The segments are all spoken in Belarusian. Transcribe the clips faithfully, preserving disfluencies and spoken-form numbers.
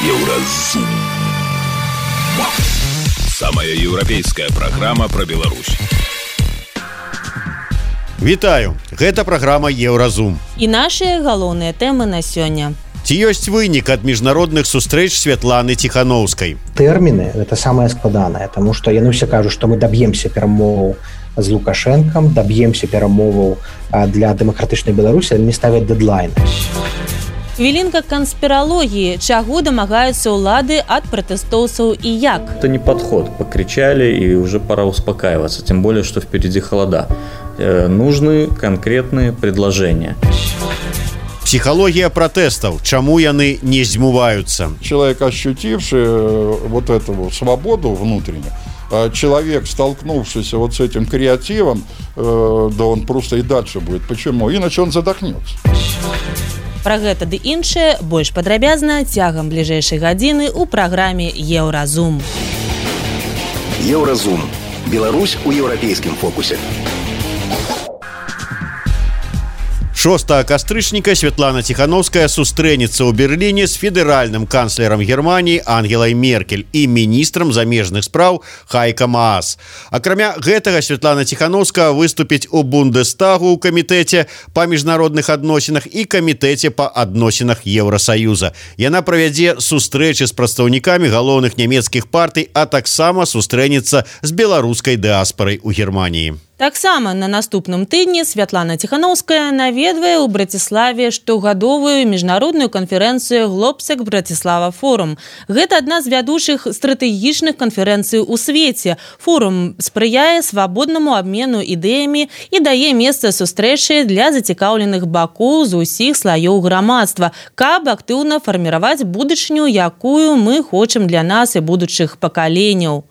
Еўразум. Самая еўрапейская праграма пра Беларусь. Вітаю, гэта праграма Еўразум. І нашыя галоўныя тэмы на сёння. Ці ёсць вынік ад міжнародных сустрэч Святланы Ціханаўскай? Тэрміны гэта самае складанае, таму што яны ўсе кажуць, што мы даб'емся перамоваў з Лукашэнкам, даб'емся перамоваў для дэмакратычнай Беларусі, але не ставяць дэдлайн. Хвілінка канспіралогіі. Чаго дамагаюцца ўлады ад пратэстоўцаў і як? Это не подход. Покричали, и уже пора успокаиваться. Тем более, что впереди холода. Э, нужны конкретные предложения. Психология протестов. Чему яны не змываются? Человек, ощутивший вот эту свободу внутреннюю, человек, столкнувшийся вот с этим креативом, да он просто и дальше будет. Почему? Иначе он задохнется. Пра гэта ды іншае больш падрабязна цягам бліжэйшай гадзіны ў праграме Еўразум. Еўразум. Беларусь у еўрапейскім фокусе. шостага кастрычніка Святлана Ціханаўская сустрэнецца ў Берліне з федэральным канцлерам Германіі Ангелай Меркель і міністрам замежных спраў Хайка Маас. Акрамя гэтага Святлана Ціханаўская выступіць у Бундестагу ў камітэце па міжнародных адносінах і камітэце па адносінах Еўрасаюза. Яна правядзе сустрэчы з прадстаўнікамі галоўных нямецкіх партый, а таксама сустрэнецца з беларускай дыаспарай у Германіі. Таксама на наступным тыдні Святлана Ціханаўская наведвае ў Браціславе штогадовую міжнародную канферэнцыю «Глобсек Братислава Форум». Гэта адна з вядучых стратэгічных канферэнцый у свеце. Форум спрыяе свабоднаму абмену ідэямі і дае месца сустрэчы для зацікаўленых бакоў з усіх слаёў грамадства, каб актыўна фарміраваць будучыню, якую мы хочам для нас і будучых пакаленняў.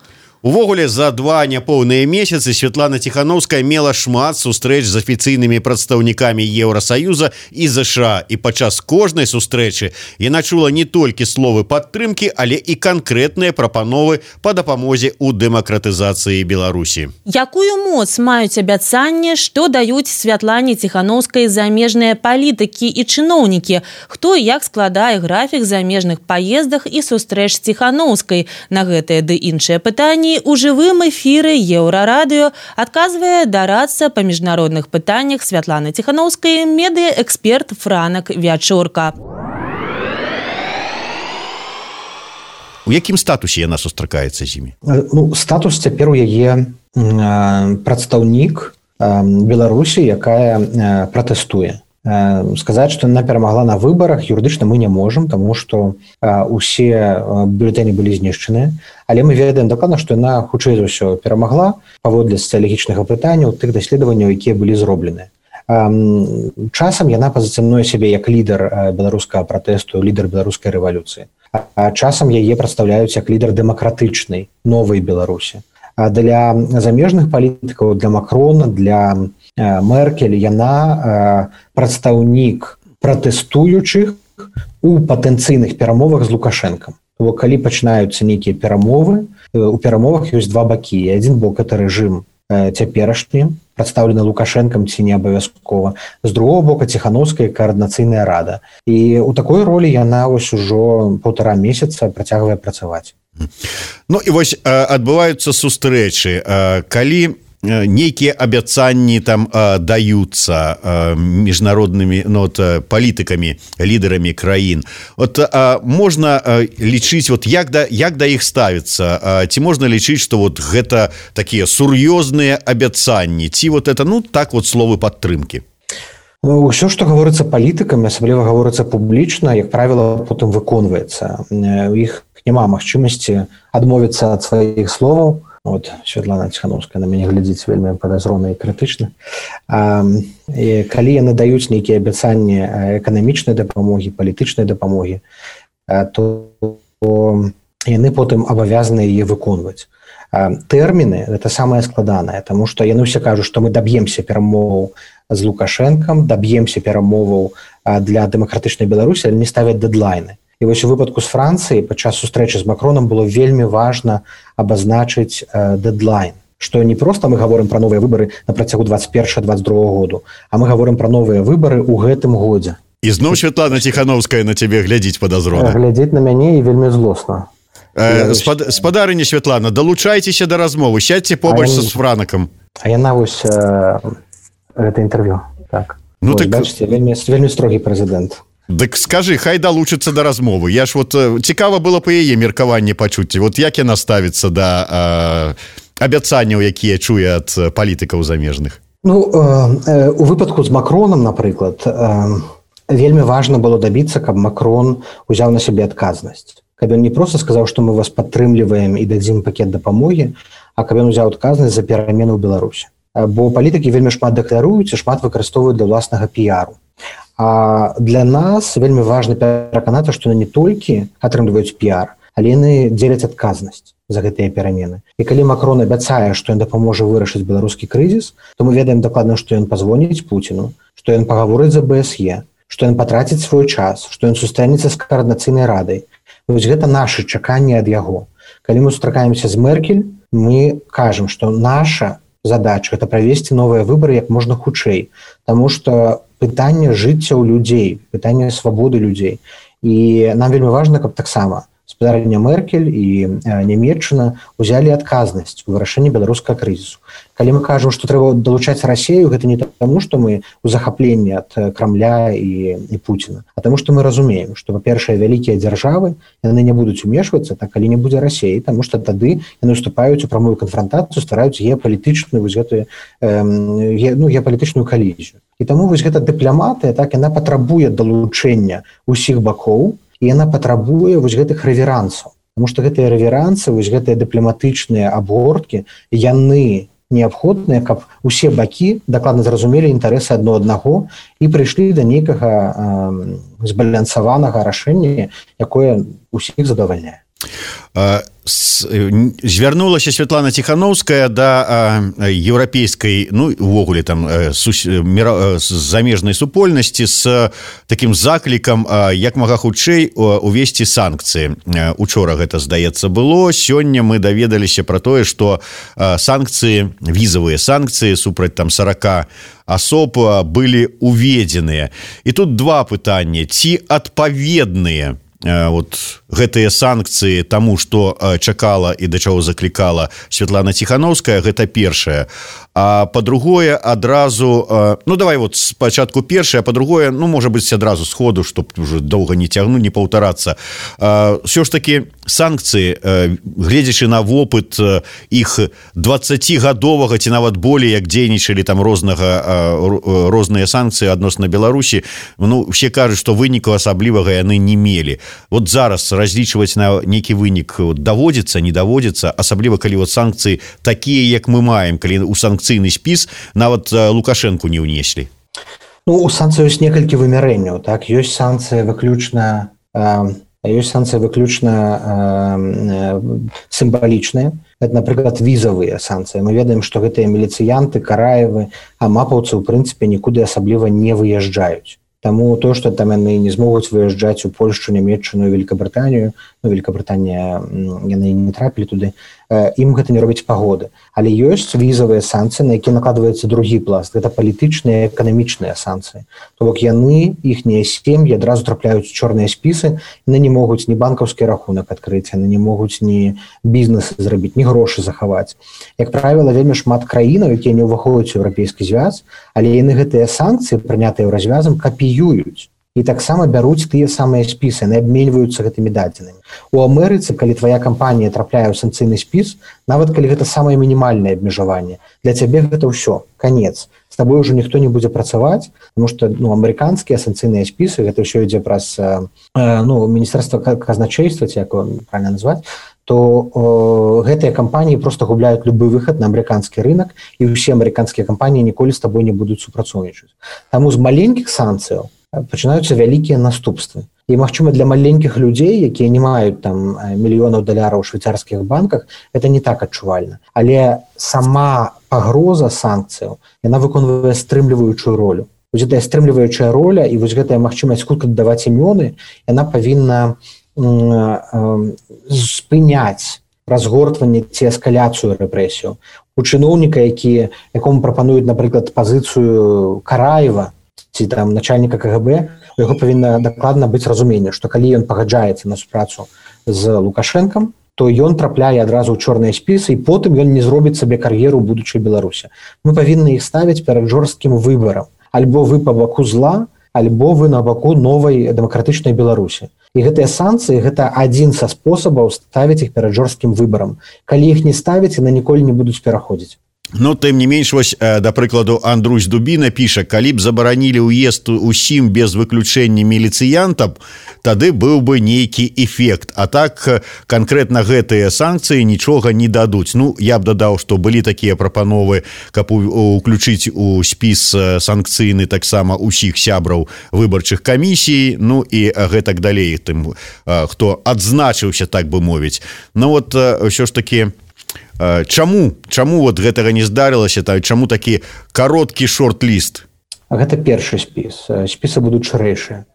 Увогуле, за два няпоўныя месяцы Святлана Ціханаўская мела шмат сустрэч з афіцыйнымі прадстаўнікамі Еўрасаюза і ЗША. І падчас кожнай сустрэчы яна чула не толькі словы падтрымкі, але і канкрэтныя прапановы па дапамозе ў дэмакратызацыі Беларусі. Якую моц маюць абяцанні, што даюць Святлане Ціханаўскай замежныя палітыкі і чыноўнікі? Хто і як складае графік замежных паездах і сустрэч Ціханаўскай? На гэтыя ды іншыя пытанні у жывым эфіры Еўрарадыё адказвае дарадца па міжнародных пытаннях Святланы Ціханаўскай медыаэксперт Франак Вячорка. У якім статусе яна сустракаецца з імі? Ну, статус цяпер у яе прадстаўнік Беларусі, якая пратэстуе. Сказаць, што яна перамагла на выбарах юрыдычна мы не можам, таму што усе бюлетэні былі знішчаныя, але мы ведаем дакладна, што яна хутчэй за ўсё перамагла паводле сацыялагічнага пытання тых даследаванняў, якія былі зроблены. Часам яна пазіцыянуе сябе як лідар беларускага пратэсту, лідар беларускай рэвалюцыі. А часам яе прадстаўляюць як лідар дэмакратычнай новай Беларусі. А для замежных палітыкаў, для Макрона, для Меркель яна прадстаўнік пратэстуючых у патэнцыйных перамовах з Лукашэнкам. Бо калі пачынаюцца нейкія перамовы, у перамовах ёсць два бакі. І адзін бок это рэжым цяперашні, прадстаўлены Лукашэнкам ці не абавязкова. З другого бока Ціханаўская каардынацыйная рада. І ў такой ролі яна вось ужо паўтара месяца працягвае працаваць. Ну і вось адбываюцца сустрэчы, калі нейкія абяцанні там даюцца міжнароднымі ну, вот, палітыкамі, лідарамі краін. От можна лічыць, вот, як, да, як да іх ставіцца? Ці можна лічыць, што вот гэта такія сур'ёзныя абяцанні? Ці вот это, ну, так вот словы падтрымкі? Усё, што гаворыцца палітыкамі, асабліва гаворыцца публічна, як правіла, потым выконваецца. У іх няма магчымасці адмовіцца ад сваіх словаў. Вот Святлана Ціханаўская на мяне глядзіць вельмі падазрона і крытычна. А, і калі яны даюць нейкія абяцанні эканамічнай дапамогі, палітычнай дапамогі, то яны потым абавязаны яе выконваць. Тэрміны гэта самае складанае, таму што яны ўсе кажуць, што мы даб'емся перамоваў з Лукашэнкам, даб'емся перамоваў для дэмакратычнай Беларусі, але не ставяць дэдлайны. І вось у выпадку з Францыі падчас сустрэчы з Макроном было вельмі важна абазначыць э, дэдлайн, што не проста мы гаворым пра новыя выбары на працягу двадцать першага двадцать другога году, а мы гаворым пра новыя выбары ў гэтым годзе. Ізноў Святлана Ціхановская на цябе глядзіць падазрона. Глядзіць на мяне і вельмі злосна. Э, спад, спадарыня Святлана, далучайцеся да размовы, сядьце побач я... са Франакам. А яна вось э, гэта інтэрв'ю. Так. Ну, Ой, так... бачите, вельмі, вельмі строгі прэзідэнт. Дык скажы, хай далучыцца да размовы. Я ж вот цікава было па яе меркаванне пачуць. Вот як яна ставіцца да э, абяцанняў, якія чуе ад палітыкаў замежных? Ну, э, э, у выпадку з Макроном, напрыклад, э, вельмі важна было дабіцца, каб Макрон узяў на сябе адказнасць. Каб ён не проста сказаў, што мы вас падтрымліваем і дадзім пакет дапамогі, а каб ён узяў адказнасць за перамены ў Беларусі. Бо палітыкі вельмі шмат дэкларуюць і шмат выкарыстоўваюць для ўласнага піяру. А для нас вельмі важна пераканацца, што яны не толькі атрымліваюць піяр, але яны дзеляць адказнасць за гэтыя перамены. І калі Макрон абяцае, што ён дапаможа вырашыць беларускі крызіс, то мы ведаем дакладна, што ён пазвоніць Пуціну, што ён пагаворыць за бэ эс е, што ён патраціць свой час, што ён сустрэнецца з каардынацыйнай радай. Вось гэта нашы чаканні ад яго. Калі мы сустракаемся з Меркель, мы кажам, што наша задача это правесці новыя выбары як можна хутчэй, таму што пытанне жыцця ў людзей, пытанне свабоды людзей. І нам вельмі важна, каб таксама спадарня Меркель і Нямецчына ўзялі адказнасць у вырашэнні беларускага крызісу. Калі мы кажам, што трэба далучаць Расею, гэта не таму, што мы ў захапленні ад Крамля і, і Пуціна, а таму, што мы разумеем, што, па-першае, вялікія дзяржавы, яны не будуць умешвацца, так калі не будзе Расеі, таму што тады яны ўступаюць у прамую канфрантацыю, ствараюць геапалітычную вось гэтую, э, ну, геапалітычную калізію. І таму вось гэта дыпламатыя, так, яна патрабуе далучэння ўсіх бакоў, і яна патрабуе вось гэтых рэверансаў. Таму што гэтыя рэверансы, вось гэтыя дыпламатычныя абгорткі, яны неабходныя, каб усе бакі дакладна зразумелі інтарэсы адно аднаго і прыйшлі да нейкага э, збалансаванага рашэння, якое ўсіх задавальняе. Звярнулася Святлана Ціхановская да еўрапейскай, ну увогуле там замежнай супольнасці з такім заклікам як мага хутчэй увесці санкцыі. Учора гэта, здаецца, было. Сёння мы даведаліся пра тое, што санкцыі, візавыя санкцыі супраць там сорок асоб былі уведзеныя. І тут два пытання: ці адпаведныя вот гэтыя санкцыі таму, што чакала і да чаго заклікала Святлана Ціхановская, гэта першае. А па-другое, адразу, ну давай вот спачатку першае, а па-другое, ну можа быць адразу сходу, чтоб уже доўга не цягнуць, не паўтарацца. Ўсё ж такі санкцыі, гледзячы на вопыт іх дваццацігадовага ці нават болей, як дзейнічалі там рознага розныя санкцыі адносна Беларусі, ну усе кажуць, што выніку асаблівага яны не мелі. Вот зараз разлічваць на нейкі вынік даводзіцца, не даводзіцца, асабліва калі вот санкцыі такія, як мы маем, калі у санкцыйны спіс нават Лукашэнку не ўнеслі. Ну, у санкцыі ёсць некалькі вымярэнняў, так, ёсць санкцыі выключна э, ёсць санкцыі выключна э, сімвалічныя. Это, напрыклад, візавыя санкцыі. Мы ведаем, што гэтыя міліцыянты, караевы, амапаўцы, у прынцыпе, нікуды асабліва не выязджаюць. Таму то, што там яны не змогуць выязджаць у Польшчу, Нямецчыну, Великабрытанію, ну, Великабрытанія, яны не трапілі туды, ім гэта не робіць пагоды. Але ёсць візавыя санкцыі, на якія накладваецца другі пласт. Гэта палітычныя, эканамічныя санкцыі. То бок яны, іхнія сем'і адразу трапляюць у чорныя спісы, яны не могуць ні банкаўскі рахунак адкрыць, яны не могуць ні бізнес зрабіць, ні грошы захаваць. Як правіла, вельмі шмат краінаў, якія не ўваходзяць у еўрапейскі звяз, але яны гэтыя санкцыі, прынятыя развязам, капіююць. І таксама бяруць тыя самыя спісы, яны абменьваюцца гэтымі дадзенымі. У Амерыцы, калі твая кампанія трапляе ў санкцыйны спіс, нават калі гэта самае мінімальнае абмежаванне, для цябе гэта ўсё, канец. З табой ўжо ніхто не будзе працаваць, тому што ну, амерыканскія санкцыйныя спісы, гэта ўсё ідзе праз э, ну, міністэрства казначейства, ці як правильно назваць, то о, гэтыя кампаніі просто губляюць любы выхад на амерыканскі рынок, і ўсе амерыканскія кампаніі ніколі з табой не будуць супрацоўнічаць. Таму з маленькіх санкцыяў пачынаюцца вялікія наступствы. І, магчыма, для маленькіх людзей, якія не маюць там мільёнаў даляраў у швейцарскіх банках, это не так адчувальна. Але сама пагроза санкцыяў, яна выконвае стрымліваючую ролю. Вось гэтая стрымліваючая роля і вось гэтая магчымасць хутка даваць імёны, яна павінна спыняць разгортванне ці эскаляцыю рэпрэсію. У чыноўніка, які, якому прапануюць, напрыклад, пазіцыю Караева, ці там начальніка ка гэ бэ, у яго павінна дакладна быць разуменне, што калі ён пагаджаецца на супрацу з Лукашэнкам, то ён трапляе адразу ў чорныя спісы, і потым ён не зробіць сабе кар'еру ў будучай Беларусі. Мы павінны іх ставіць перад жорсткім выбарам. Альбо вы па баку зла, альбо вы на баку новай дэмакратычнай Беларусі. І гэтыя санкцыі – гэта адзін са спосабаў ставіць іх перад жорсткім выбарам. Калі іх не ставіць, яны ніколі не будуць пераходзіць. Ну, тым не менш, вось, да прыкладу, Андрусь Дубіна піша, калі б забаранілі ўезд усім без выключэння міліцыянтам, тады быў бы нейкі эфект. А так, канкрэтна гэтыя санкцыі нічога не дадуць. Ну, я б дадаў, што былі такія прапановы, каб уключыць у спіс санкцыйны таксама ўсіх сябраў выбарчых камісій, ну і гэтак далей, тым, хто адзначыўся, так бы мовіць. Ну, вот, ўсё ж такі, Чаму чаму вот гэтага не здарылася, та чаму такі кароткі шорт-ліст? Гэта першы спіс. Спісы будуць шырэйшыя.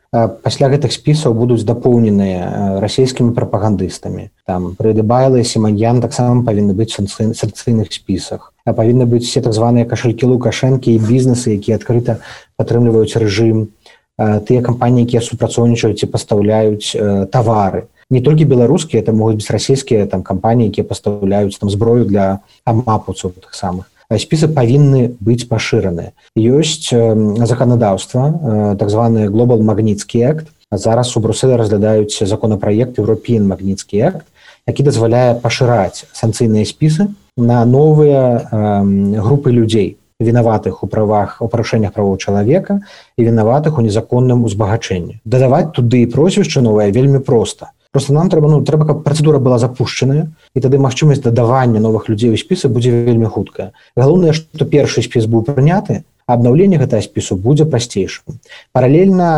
Пасля гэтых спісаў будуць дапоўненыя расійскімі прапагандыстамі. Там Прыдыбайла і Сіманьян таксама павінны быць у санкцыйных спісах. Павінны быць все так званыя кашалькі Лукашэнкі і бізнесы, якія адкрыта падтрымліваюць рэжым. Тыя кампаніі, якія супрацоўнічаюць і пастаўляюць тавары. Не толькі беларускія, это могуць быць расійскія там кампаніі, якія пастаўляюць там зброю для амапаўцаў тых самых. Спісы павінны быць пашыраныя. Ёсць заканадаўства, так званы Global Magnitsky Act. Зараз у Брусэлі разглядаюць законапраект European Magnitsky Act, які дазваляе пашыраць санкцыйныя спісы на новыя групы людзей, вінаватых у правах, у парушэннях правоў чалавека і вінаватых у незаконным узбагачэнні. Дадаваць туды прозвішча новае вельмі проста. Просто нам трэба, ну, трэба, каб працэдура была запушчаная, і тады магчымасць дадавання новых людзей у спісы будзе вельмі хуткая. Галоўнае, што першы спіс быў прыняты, а абнаўленне гэтага спісу будзе прасцейшым. Паралельна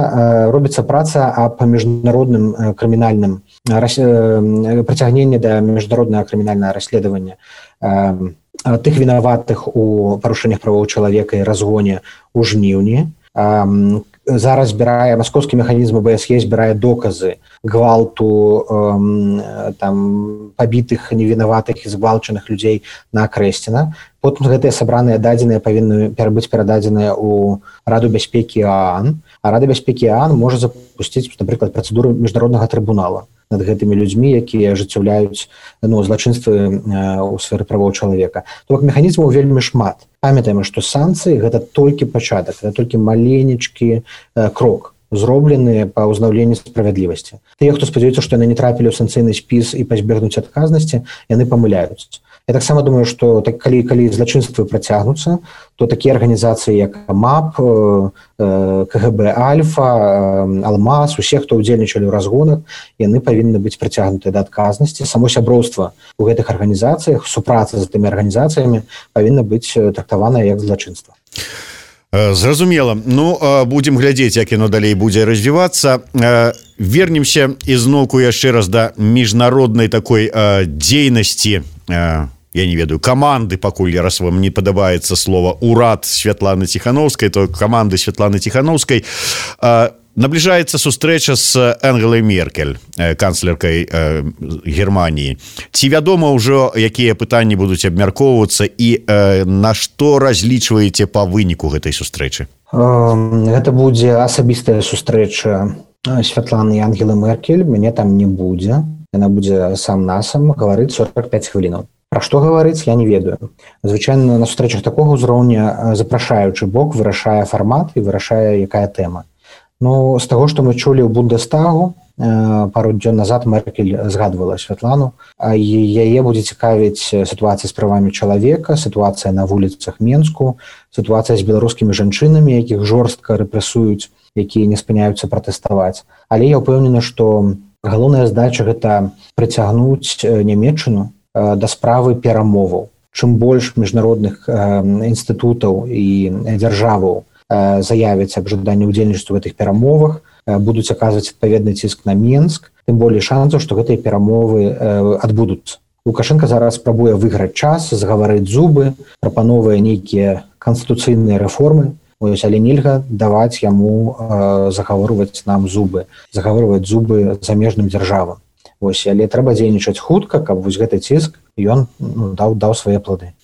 э, робіцца праца аб міжнародным э, крымінальным э, прыцягненні да міжнароднага крымінальнага расследавання э, тых вінаватых у парушэннях правоў чалавека і разгоне ў жніўні. Э, Зараз збірае маскоўскі механізм бэ эс е збірае доказы гвалту э, там пабітых невінаватых і згвалчаных людзей на Крэсціна. Потым гэтыя сабраныя дадзеныя павінны быць перададзеныя ў Раду бяспекі ААН, а Рада бяспекі ААН можа запусціць, напрыклад, працэдуру міжнароднага трыбунала над гэтымі людзьмі, якія ажыццяўляюць, ну, злачынствы ў сферы правоў чалавека. То бок механізмаў вельмі шмат. Памятаем, што санкцыі гэта толькі пачатак, гэта толькі маленечкі э, крок, зроблены па ўзнаўленні справядлівасці. Тыя, хто спадзяюцца, што яны не трапілі ў санкцыйны спіс і пазбегнуць адказнасці, яны памыляюць. Я таксама думаю, што так, калі, калі злачынствы працягнуцца, то такія арганізацыі, як МАП, ка гэ бэ Альфа, Алмаз, усе, хто ўдзельнічалі ў разгонах, яны павінны быць прыцягнутыя да адказнасці. Само сяброўства ў гэтых арганізацыях, супраца з тымі арганізацыямі павінна быць трактаванае як злачынства. Зразумела. Ну, будзем глядзець, як яно далей будзе развівацца. Вернемся ізноўку яшчэ раз да міжнароднай такой дзейнасці, я не ведаю, каманды, пакуль раз вам не падабаецца слова «урад» Святланы Ціхановскай, то каманды Святланы Ціхановскай. Набліжаецца сустрэча з Ангелай Меркель, канцлеркай Германіі. Ці вядома ўжо, якія пытанні будуць абмяркоўвацца і на што разлічваеце па выніку гэтай сустрэчы? Гэта будзе асабістая сустрэча Святланы і Ангелы Меркель. Мяне там не будзе. Яна будзе сам-насам гаварыць сорок пяць хвілінаў. Пра што гаварыць, я не ведаю. Звычайна на сустрэчах такога ўзроўня запрашаючы бок вырашае фармат і вырашае, якая тэма. Ну, з таго, што мы чулі ў Бундестагу, пару дзён назад Меркель згадвала Святлану, і яе будзе цікавіць сітуацыя з правамі чалавека, сітуацыя на вуліцах Менску, сітуацыя з беларускімі жанчынамі, якіх жорстка рэпрэсуюць, якія не спыняюцца пратэставаць. Але я ўпэўнены, што галоўная задача гэта прыцягнуць Нямецчыну да справы перамоваў. Чым больш міжнародных інстытутаў і дзяржаваў заявяць аб жаданні ўдзельнічаць у гэтых перамовах, будуць аказваць адпаведны ціск на Менск, тым болей шансаў, што гэтыя перамовы адбудуцца. Лукашенко зараз спрабуе выйграць час, згаварыць зубы, прапановвае нейкія канстытуцыйныя рэформы, ось, але нельга даваць яму загаворваць нам зубы, загаворваць зубы замежным дзяржавам. Вось, але трэба дзейнічаць хутка, каб вось гэты ціск ён ну, даў, даў свае плады.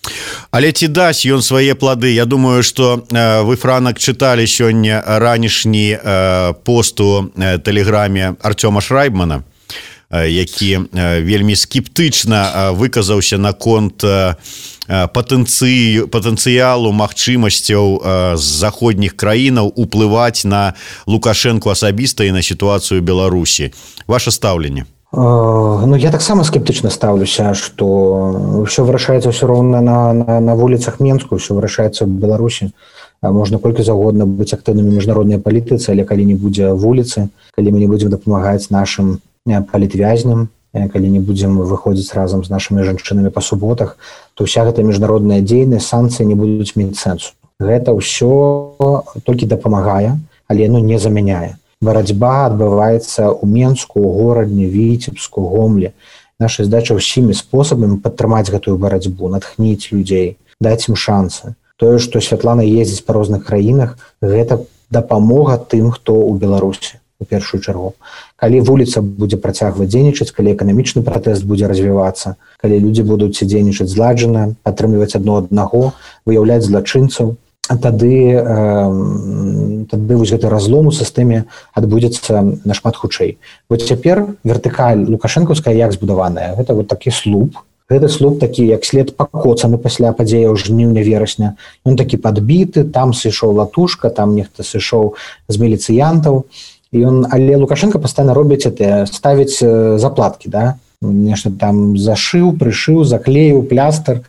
Але ці дасць ён свае плады? Я думаю, што э, вы, Франак, чыталі сёння ранішні э, пост у э, тэлеграме Артёма Шрайбмана, э, які э, вельмі скептычна э, выказаўся наконт э, патэнцыю, патэнцыялу магчымасцяў э, з заходніх краінаў уплываць на Лукашэнку асабіста і на сітуацыю Беларусі. Ваше стаўленне? Ну, я таксама скептычна стаўлюся, што ўсё вырашаецца ўсё роўна на, на, на вуліцах Менску, ўсё вырашаецца ў Беларусі. Можна колькі загодна быць актыўнымі міжнароднай палітыцы, але калі не будзе вуліцы, калі мы не будзем дапамагаць нашым палітвязням, калі не будзем выходзіць разам з нашымі жанчынамі па суботах, то ўся гэта міжнародная дзейнасць, санкцыі не будуць мець сэнсу. Гэта ўсё толькі дапамагае, але ну, не замяняе. Барацьба адбываецца ў Менску, у горадні, Віцебску, Гомлі. Наша задача ўсімі спосабамі падтрымаць гэтую барацьбу, натхніць людзей, даць ім шансы. Тое, што Святлана ездзіць па розных краінах, гэта дапамога тым, хто ў Беларусі, у першую чаргу. Калі вуліца будзе працягваць дзейнічаць, калі эканамічны пратэст будзе развівацца, калі людзі будуць дзейнічаць зладжана, падтрымліваць адно аднаго, выяўляць злачынцаў, тады, э, тады вось гэты разлом у сістэме адбудзецца нашмат хутчэй. Вот цяпер вертыкаль лукашэнкаўская як збудаваная? Гэта вот такі слуп. Гэты слуп такі, як след пакоцаны пасля падзеяў жніўня-верасня. Ён такі падбіты, там сышоў латушка, там нехта сышоў з міліцыянтаў. І ён, але Лукашенко пастаянна робіць это, ставіць заплаткі, да? Нешта там зашыў, прышыў, заклеіў, плястар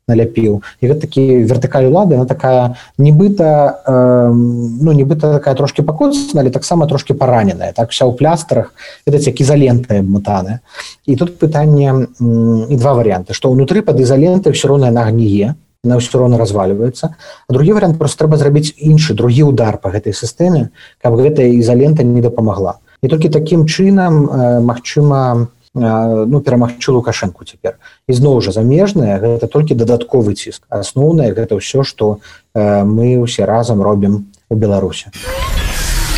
наляпіў. І гэта такі вертыкаль улады, она такая нібыта, э, ну, нібыта такая трошки пакоцана, але таксама трошки параненая. Так вся ў плястарах, гэта як ізалента абматаная. І тут пытанне, і два варыянты, што ўнутры пад ізалентай ўсё роўна яна гніе, яна ўсё роўна разваліваецца. А другі варыянт, просто трэба зрабіць іншы, другі удар па гэтай сістэме, каб гэтая ізалента не дапамагла. І толькі такім чынам, э, магчыма, ну, перамагчы Лукашэнку цяпер. І зноў жа замежнае, гэта толькі дадатковы ціск. Асноўнае гэта ўсё, што э, мы ўсе разам робім у Беларусі.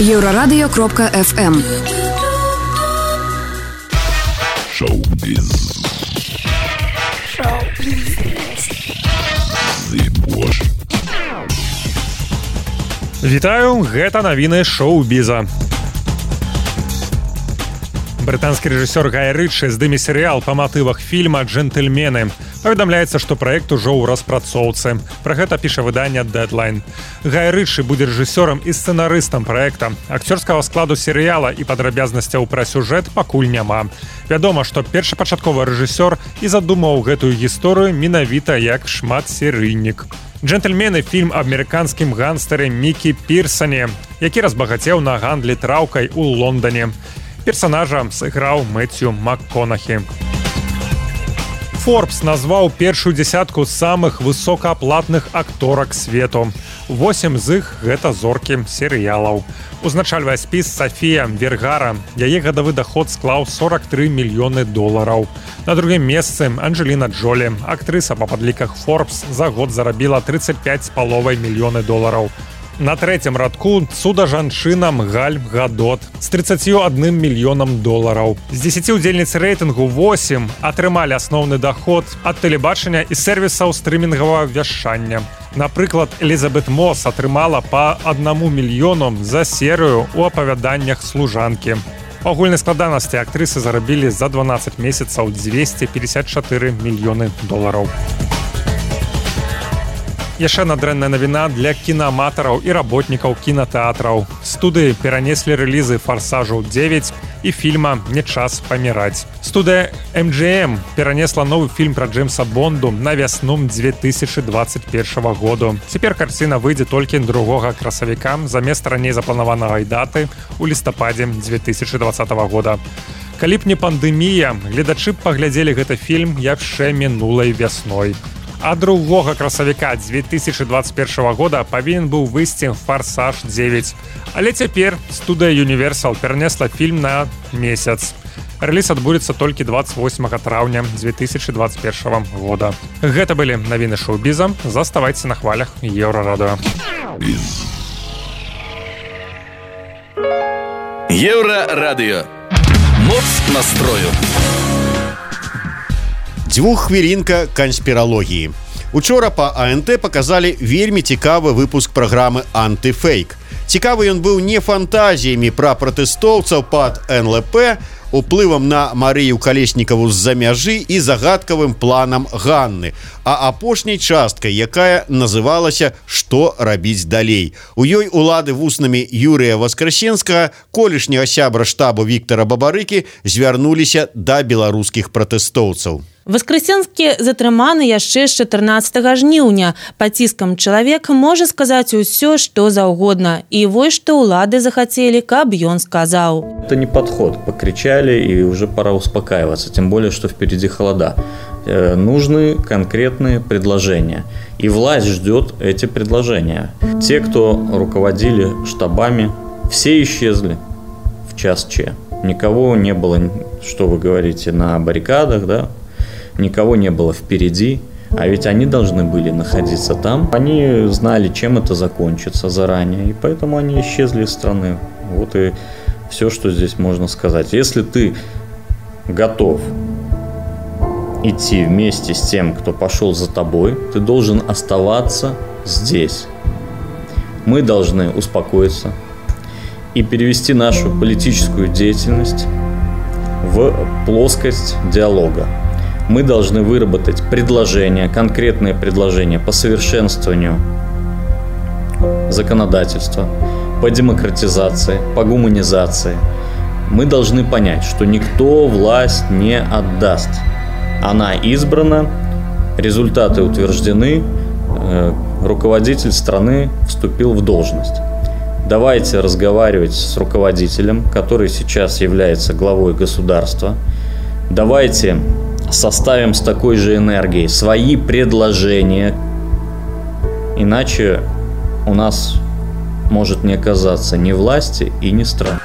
Еўрарадыё кропка эф эм. Шоу-біз. Вітаю, гэта навіны шоу-біза. Брытанскі рэжысёр Гай Рычы здыме серыял па матывах фільма «Джентльмены». Паведамляецца, што праект ужо ў распрацоўцы. Пра гэта піша выданне «Дэдлайн». Гай Рычы будзе рэжысёрам і сцэнарыстам праекта. Акцёрскага складу серыяла і падрабязнасцяў пра сюжэт пакуль няма. Вядома, што першапачатковы рэжысёр і задумаў гэтую гісторыю менавіта як шматсерыйнік. «Джентльмены» – фільм аб амерыканскім гангстэры Мікі Пірсане, які разбагацеў на гандлі траўкай у Лондане. Персонажа сыграў Мэцью МакКонахі. Forbes назваў першую дзясятку самых высокааплатных акторак свету. Восем з іх – гэта зоркі серыялаў. Узначальвае спіс Сафія Вергара. Яе гадавы даход склаў сорок тры мільёны долараў. На другім месцы Анджеліна Джолі. Актрыса па падліках Forbes за год зарабіла тридцать пять з паловай мільёны долараў. На трэцім радку цуда-жанчынам Галь Гадот з тридцатью адным мільёнам долараў. З дзесяці ўдзельніц рэйтынгу восем атрымалі асноўны даход ад тэлебачання і сервісаў стрымінгавага вяшчання. Напрыклад, Элізабет Мос атрымала па аднаму мільёну за серыю ў апавяданнях служанкі. Па агульнай складанасці актрысы зарабілі за дванаццаць месяцаў дзвесце пятьдесят чатыры мільёны долараў. Яшчэ адна дрэнная навіна для кінааматараў і работнікаў кінатэатраў. Студыі перанеслі рэлізы «Фарсажу дзевяць» і фільма «Не час паміраць». Студыя эм джі эм перанесла новы фільм пра Джеймса Бонду на вясну две тысячи двадцать першага году. Цяпер карціна выйдзе толькі другога красавіка замест раней запланаванага даты ў лістападзе две тысячи двадцатага года. Калі б не пандэмія, гледачы б паглядзелі гэты фільм яшчэ мінулай вясной. А другога красавіка две тысячи двадцать першага года павінен быў выйсці «Фарсаж дзевяць». Але цяпер студыя Universal перанесла фільм на месяц. Рэліз адбудзецца толькі двадцать восьмага траўня две тысячи двадцать першага года. Гэта былі навіны шоу-біза. Заставайце на хвалях Еўрарадыё. Еўрарадыё. Моц настрою. Дзвюххвілінка канспіралогіі. Учора па АНТ паказалі вельмі цікавы выпуск праграмы «Антыфейк». Цікавы ён быў не фантазіямі пра пратэстоўцаў пад эн эл пэ, уплывам на Марыю Калеснікаву з-за мяжы і загадкавым планам Ганны, а апошняй часткай, якая называлася «Што рабіць далей?». У ёй улады вуснамі Юрыя Васкрасенскага, колішняга сябра штабу Віктара Бабарыкі, звярнуліся да беларускіх пратэстоўцаў. Васкрасенскі затрыманы яшчэ з чатырнаццатага жніўня. Пад ціскам чалавек можа сказаць усё, што заўгодна. І вось што ўлады захацелі, каб ён сказаў. Это не подход. Покричали, и уже пора успокаиваться. Тем более, что впереди холода. Э, нужны конкретные предложения. И власть ждет эти предложения. Те, кто руководили штабами, все исчезли в час Ч. Никого не было, что вы говорите, на баррикадах, да? Никого не было впереди, а ведь они должны были находиться там. Они знали, чем это закончится заранее, и поэтому они исчезли из страны. Вот и все, что здесь можно сказать. Если ты готов идти вместе с тем, кто пошел за тобой, ты должен оставаться здесь. Мы должны успокоиться и перевести нашу политическую деятельность в плоскость диалога. Мы должны выработать предложения, конкретные предложения по совершенствованию законодательства, по демократизации, по гуманизации. Мы должны понять, что никто власть не отдаст. Она избрана, результаты утверждены, руководитель страны вступил в должность. Давайте разговаривать с руководителем, который сейчас является главой государства. Давайте составим с такой же энергией свои предложения, иначе у нас может не оказаться ни власти и ни страны.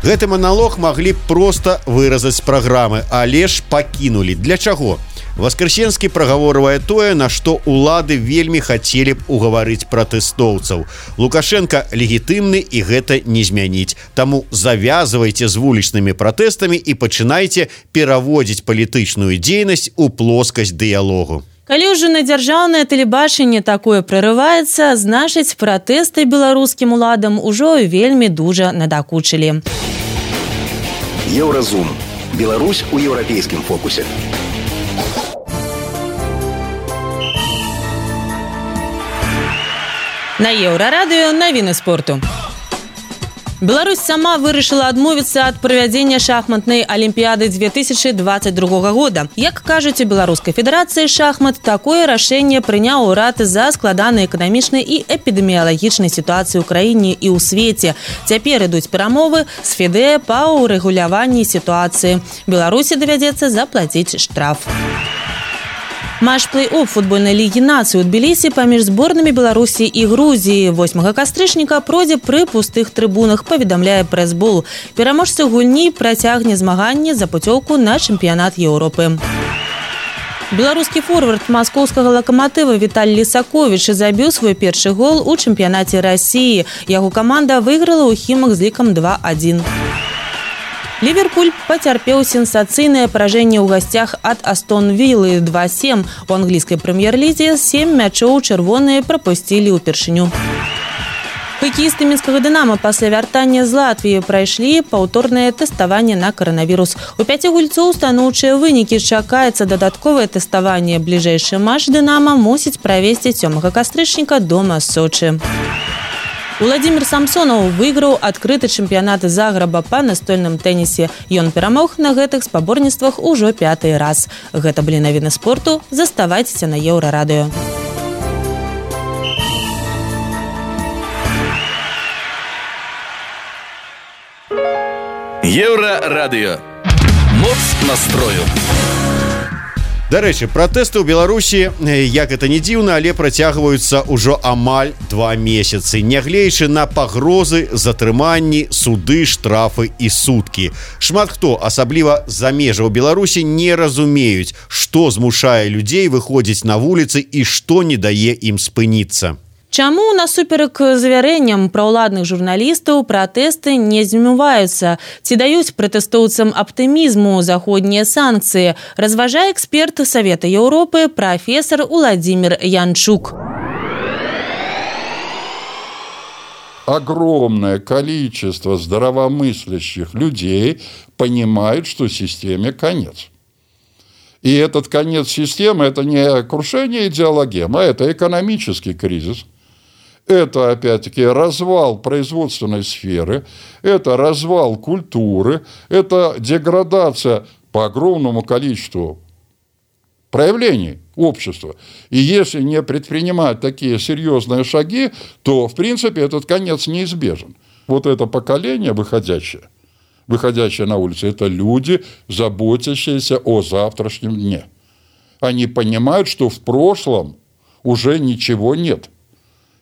Гэты маналог маглі б проста выразаць з праграмы, але ж пакінулі. Для чаго? Васкрасенскі прагаворвае тое, на што улады вельмі хацелі б угаварыць пратэстоўцаў. Лукашенко легітымны і гэта не змяніць. Таму завязвайце з вулічнымі пратэстамі і пачынайце пераводзіць палітычную дзейнасць у плоскасць дыялогу. Калі ўжо на дзяржаўнае тэлебачанне такое прарываецца, значыць, пратэсты беларускім уладам ужо вельмі дужа надакучылі. Еўразум. Беларусь у еўрапейскім фокусе. На Еўрарадыё навіны спорту. Беларусь сама вырашыла адмовіцца ад правядзення шахматнай алімпіяды две тысячи двадцать другога года. Як кажуць у Беларускай федэрацыі шахмат, такое рашэнне прыняў урад з-за складанай эканамічнай і эпідэміялагічнай сітуацыі ў краіне і ў свеце. Цяпер ідуць перамовы з ФІДЭ па ўрэгуляванні сітуацыі. Беларусі давядзецца заплаціць штраф. Матч плэй-офф футбольнай лігі нацый у Тбілісі паміж зборнымі Беларусі і Грузіі восьмага кастрычніка пройдзе пры пустых трыбунах, паведамляе прэс-бол. Пераможца гульні працягне змаганне за пуцёўку на чэмпіянат Еўропы. Беларускі форвард маскоўскага лакаматыва Віталь Лісаковіч забіў свой першы гол у чэмпіянаце Расіі. Яго каманда выйграла ў Хімах з лікам два адзін. Ливерпуль пацярпеў сенсацыйнае паражэнне ў гасцях ад Астон Віллы два сем. У англійскай прэм'ер-лізе сем мячоў чырвоныя прапусцілі ўпершыню. Хакеісты мінскага «Дынама» пасля вяртання з Латвіі прайшлі паўторнае тэставанне на каранавірус. У пяці гульцоў станоўчыя вынікі, чакаецца дадатковае тэставанне. Бліжэйшы матч «Дынама» мусіць правесці сёмага кастрычніка дома з Сочы. Уладзімір Самсонаў выйграў адкрыты чэмпіянат Заграба па настольным тэнісе. Ён перамог на гэтых спаборніцтвах ужо пяты раз. Гэта былі навіны спорту. Заставайцеся на Еўрарадыё. Еўрарадыё. Моц настрою. Дарэчы, пратэсты ў Беларусі, як это не дзіўна, але працягваюцца ўжо амаль два месяцы, нягледзячы на пагрозы, затрыманні, суды, штрафы і суткі. Шмат хто, асабліва з-за межаў Беларусі, не разумеюць, што змушае людзей выходзіць на вуліцы і што не дае ім спыніцца. Чаму насуперак завярэнням праўладных журналістаў пратэсты не змываюцца? Ці даюць пратэстоўцам аптымізму заходнія санкцыі? Разважае эксперт Савета Еўропы прафесор Уладзімір Янчук. Огромное количество здравомыслящих людей понимает, что системе конец. И этот конец системы – это не крушение идеологем, а это экономический кризис. Это, опять-таки, развал производственной сферы, это развал культуры, это деградация по огромному количеству проявлений общества. И если не предпринимать такие серьезные шаги, то, в принципе, этот конец неизбежен. Вот это поколение выходящее, выходящие на улицу, это люди, заботящиеся о завтрашнем дне. Они понимают, что в прошлом уже ничего нет.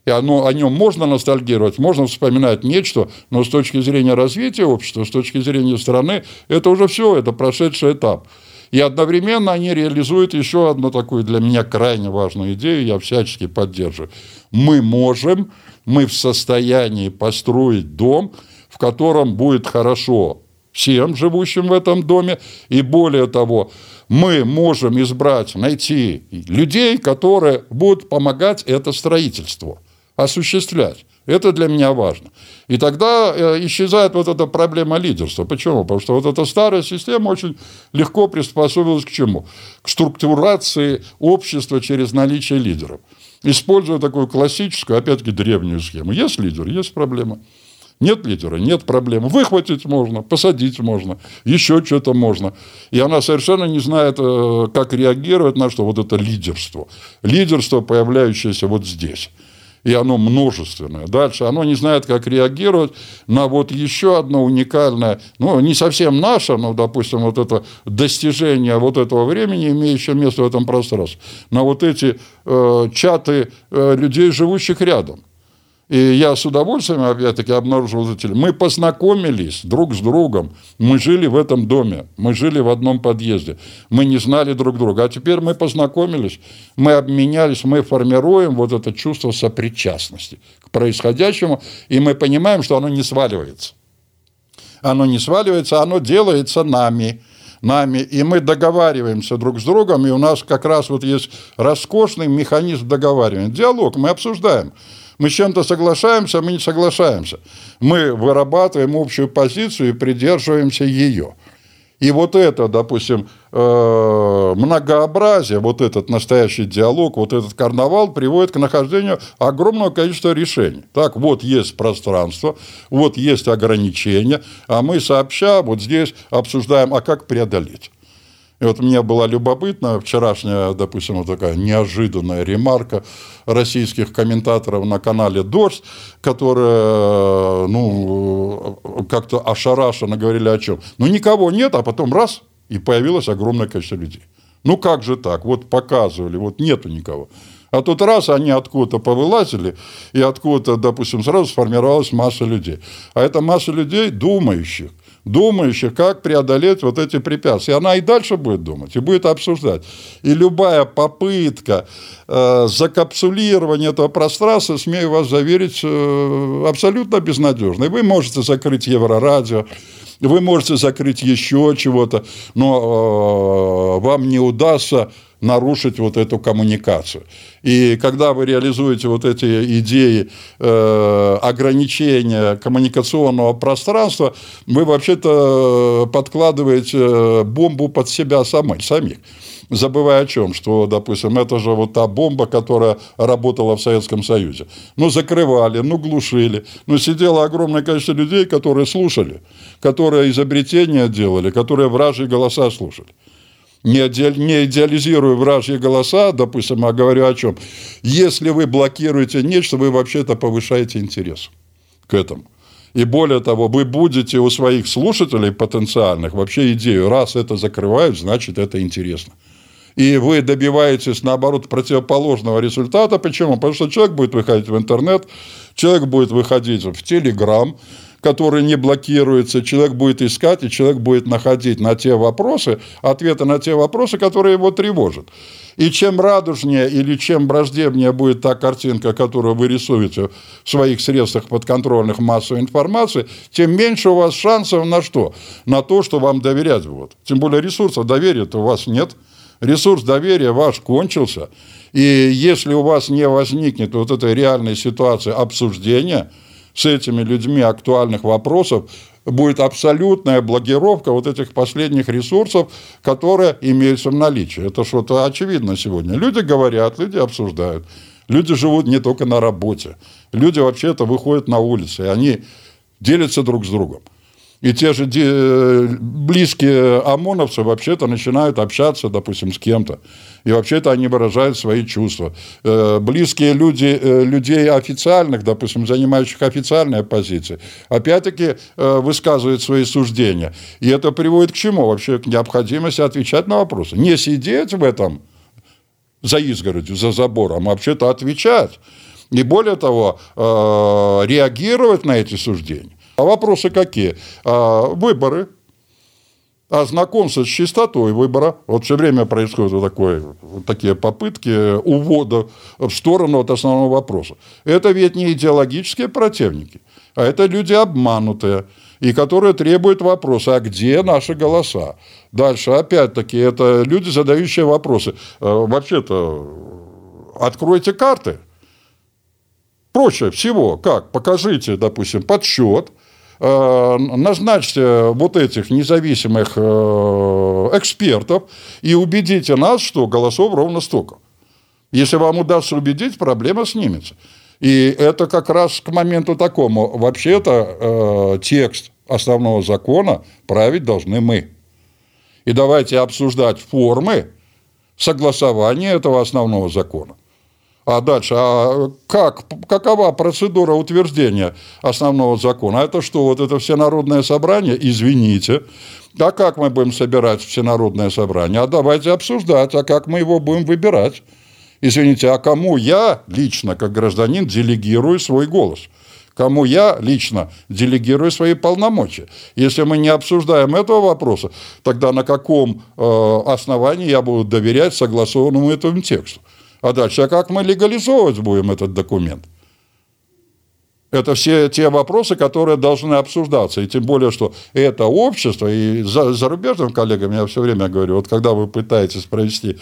И оно, о нем можно ностальгировать, можно вспоминать нечто, но с точки зрения развития общества, с точки зрения страны, это уже все, это прошедший этап. И одновременно они реализуют еще одну такую для меня крайне важную идею, я всячески поддерживаю. Мы можем, мы в состоянии построить дом, в котором будет хорошо всем живущим в этом доме, и более того, мы можем избрать, найти людей, которые будут помогать это строительство осуществлять. Это для меня важно. И тогда исчезает вот эта проблема лидерства. Почему? Потому что вот эта старая система очень легко приспособилась к чему? К структурации общества через наличие лидеров. Используя такую классическую, опять-таки, древнюю схему. Есть лидер, есть проблема. Нет лидера, нет проблем. Выхватить можно, посадить можно, еще что-то можно. И она совершенно не знает, как реагировать на что. Вот это лидерство. Лидерство, появляющееся вот здесь. И оно множественное. Дальше оно не знает, как реагировать на вот еще одно уникальное, ну, не совсем наше, но, допустим, вот это достижение вот этого времени, имеющее место в этом пространстве, на вот эти э, чаты э, людей, живущих рядом. И я с удовольствием, опять-таки, обнаружил зрителей. Мы познакомились друг с другом. Мы жили в этом доме. Мы жили в одном подъезде. Мы не знали друг друга. А теперь мы познакомились, мы обменялись, мы формируем вот это чувство сопричастности к происходящему. И мы понимаем, что оно не сваливается. Оно не сваливается, оно делается нами. нами, и мы договариваемся друг с другом, и у нас как раз вот есть роскошный механизм договаривания. Диалог, мы обсуждаем. Мы с чем-то соглашаемся, мы не соглашаемся. Мы вырабатываем общую позицию и придерживаемся ее. И вот это, допустим, многообразие, вот этот настоящий диалог, вот этот карнавал приводит к нахождению огромного количества решений. Так, вот есть пространство, вот есть ограничения, а мы сообща вот здесь обсуждаем, а как преодолеть. И вот мне была любопытна вчерашняя, допустим, вот такая неожиданная ремарка российских комментаторов на канале «Дождь», которые, ну, как-то ошарашенно говорили о чем. Ну, никого нет, а потом раз, и появилось огромное количество людей. Ну, как же так? Вот показывали, вот нету никого. А тут раз они откуда-то повылазили, и откуда-то, допустим, сразу сформировалась масса людей. А это масса людей, думающих, думающих, как преодолеть вот эти препятствия. И она и дальше будет думать, и будет обсуждать. И любая попытка э, закапсулирования этого пространства, смею вас заверить, э, абсолютно безнадежна. И вы можете закрыть Еврорадио, вы можете закрыть еще чего-то, но э, вам не удастся нарушить вот эту коммуникацию. И когда вы реализуете вот эти идеи э, ограничения коммуникационного пространства, вы вообще-то подкладываете бомбу под себя самих, самих. Забывая о чем, что, допустим, это же вот та бомба, которая работала в Советском Союзе. Ну, закрывали, ну, глушили. Ну, сидело огромное количество людей, которые слушали, которые изобретения делали, которые вражьи голоса слушали. Не идеализирую вражьи голоса, допустим, а говорю о чем. Если вы блокируете нечто, вы вообще-то повышаете интерес к этому. И более того, вы будете у своих слушателей потенциальных вообще идею, раз это закрывают, значит, это интересно. И вы добиваетесь, наоборот, противоположного результата. Почему? Потому что человек будет выходить в интернет, человек будет выходить в Телеграм, который не блокируется, человек будет искать, и человек будет находить на те вопросы, ответы на те вопросы, которые его тревожат. И чем радужнее или чем враждебнее будет та картинка, которую вы рисуете в своих средствах подконтрольных массовой информации, тем меньше у вас шансов на что? На то, что вам доверять будут. Тем более ресурсов доверия-то у вас нет. Ресурс доверия ваш кончился. И если у вас не возникнет вот этой реальной ситуации обсуждения с этими людьми актуальных вопросов, будет абсолютная блокировка вот этих последних ресурсов, которые имеются в наличии. Это что-то очевидно сегодня. Люди говорят, люди обсуждают. Люди живут не только на работе. Люди вообще-то выходят на улицы, и они делятся друг с другом. И те же близкие ОМОНовцы вообще-то начинают общаться, допустим, с кем-то. И вообще-то они выражают свои чувства. Близкие люди, людей официальных, допустим, занимающих официальные позиции, опять-таки высказывают свои суждения. И это приводит к чему? Вообще к необходимости отвечать на вопросы. Не сидеть в этом за изгородью, за забором, а вообще-то отвечать. И более того, реагировать на эти суждения. А вопросы какие? А, выборы, а знакомство с чистотой выбора. Вот все время происходят вот, такое, вот такие попытки увода в сторону от основного вопроса. Это ведь не идеологические противники, а это люди обманутые, и которые требуют вопроса, а где наши голоса? Дальше, опять-таки, это люди, задающие вопросы. Вообще-то, откройте карты. Проще всего, как? Покажите, допустим, подсчет, назначьте вот этих независимых экспертов и убедите нас, что голосов ровно столько. Если вам удастся убедить, проблема снимется. И это как раз к моменту такому. Вообще-то текст основного закона править должны мы. И давайте обсуждать формы согласования этого основного закона. А дальше, а как, какова процедура утверждения основного закона? Это что, вот это всенародное собрание? Извините. А как мы будем собирать всенародное собрание? А давайте обсуждать, а как мы его будем выбирать? Извините, а кому я лично, как гражданин, делегирую свой голос? Кому я лично делегирую свои полномочия? Если мы не обсуждаем этого вопроса, тогда на каком э, основании я буду доверять согласованному этому тексту? А дальше, а как мы легализовывать будем этот документ? Это все те вопросы, которые должны обсуждаться. И тем более, что это общество, и за, зарубежным коллегам я все время говорю, вот когда вы пытаетесь провести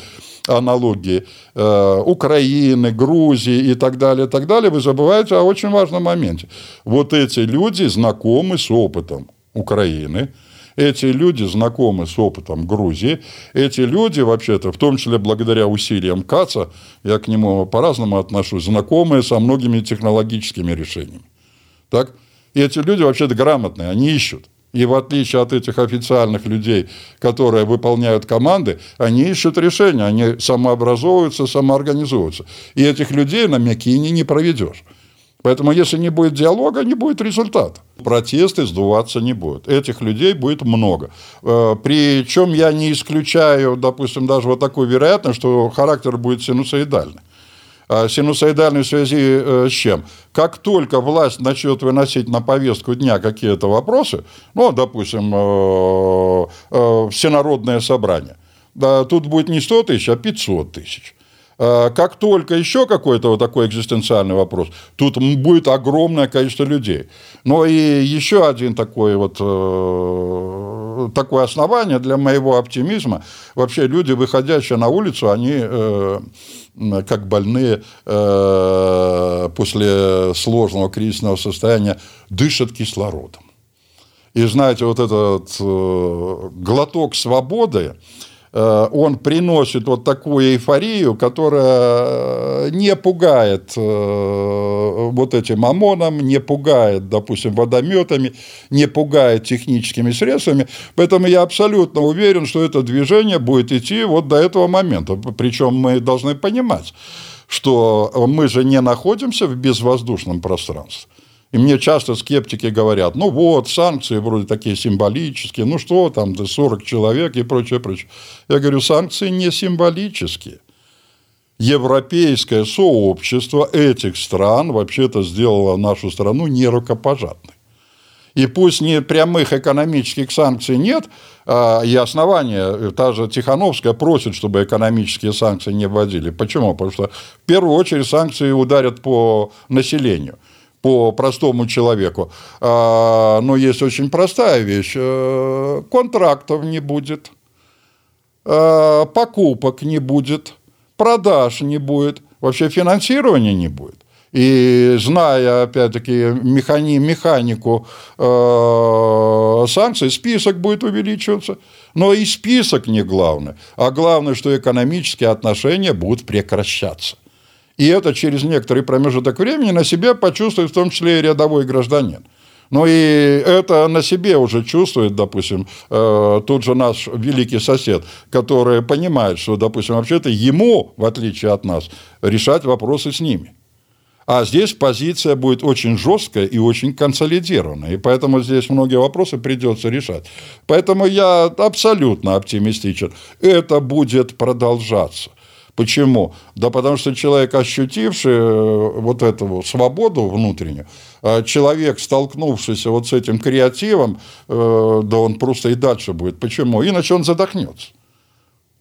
аналогии э, Украины, Грузии и так далее, и так далее, вы забываете о очень важном моменте. Вот эти люди знакомы с опытом Украины, эти люди знакомы с опытом Грузии. Эти люди, вообще-то, в том числе благодаря усилиям Каца, я к нему по-разному отношусь, знакомые со многими технологическими решениями. Так? И эти люди, вообще-то, грамотные, они ищут. И в отличие от этих официальных людей, которые выполняют команды, они ищут решения, они самообразовываются, самоорганизуются. И этих людей на Мякине не проведешь. Поэтому, если не будет диалога, не будет результата. Протесты сдуваться не будут. Этих людей будет много. Причем я не исключаю, допустим, даже вот такую вероятность, что характер будет синусоидальный. Синусоидальный в связи с чем? Как только власть начнет выносить на повестку дня какие-то вопросы, ну, допустим, всенародное собрание, тут будет не сто тысяч, а пятьсот тысяч. Как только еще какой-то вот такой экзистенциальный вопрос, тут будет огромное количество людей. Но и еще один такой вот, такое основание для моего оптимизма. Вообще люди, выходящие на улицу, они как больные после сложного кризисного состояния дышат кислородом. И знаете, вот этот глоток свободы, он приносит вот такую эйфорию, которая не пугает вот этим ОМОНом, не пугает, допустим, водометами, не пугает техническими средствами. Поэтому я абсолютно уверен, что это движение будет идти вот до этого момента. Причем мы должны понимать, что мы же не находимся в безвоздушном пространстве. И мне часто скептики говорят, ну вот, санкции вроде такие символические, ну что там, сорок человек и прочее, прочее. Я говорю, санкции не символические. Европейское сообщество этих стран вообще-то сделало нашу страну нерукопожатной. И пусть не прямых экономических санкций нет, и основания, та же Тихановская просит, чтобы экономические санкции не вводили. Почему? Потому что в первую очередь санкции ударят по населению, по простому человеку. Но есть очень простая вещь. Контрактов не будет, покупок не будет, продаж не будет, вообще финансирования не будет. И зная, опять-таки, механи, механику э, санкций, список будет увеличиваться. Но и список не главное. А главное, что экономические отношения будут прекращаться. И это через некоторый промежуток времени на себе почувствует в том числе и рядовой гражданин. Ну и это на себе уже чувствует, допустим, э, тот же наш великий сосед, который понимает, что, допустим, вообще-то ему, в отличие от нас, решать вопросы с ними. А здесь позиция будет очень жесткая и очень консолидированная. И поэтому здесь многие вопросы придется решать. Поэтому я абсолютно оптимистичен. Это будет продолжаться. Почему? Да потому что человек, ощутивший вот эту свободу внутреннюю, человек, столкнувшийся вот с этим креативом, да он просто и дальше будет. Почему? Иначе он задохнется.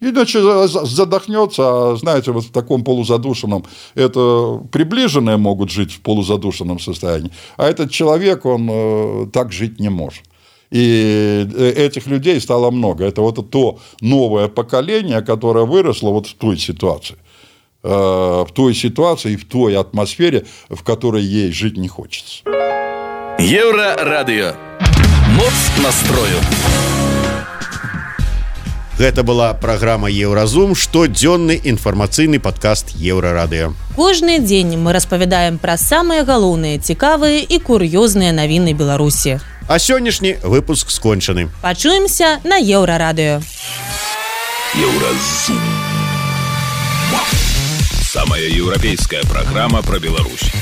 Иначе задохнется, а, знаете, вот в таком полузадушенном, это приближенные могут жить в полузадушенном состоянии, а этот человек, он э, так жить не может. И этих людей стало много. Это вот то новое поколение, которое выросло вот в той ситуации, э, в той ситуации и в той атмосфере, в которой ей жить не хочется. Еврорадио. Моц настрою. Гэта была праграма Еўразум, штодзённы інфармацыйны падкаст Еўрарадыё. Кожны дзень мы распавядаем пра самыя галоўныя, цікавыя і кур'ёзныя навіны Беларусі. А сённяшні выпуск скончаны. Пачуемся на Еўрарадыё. Еўразум. Самая еўрапейская праграма пра Беларусь.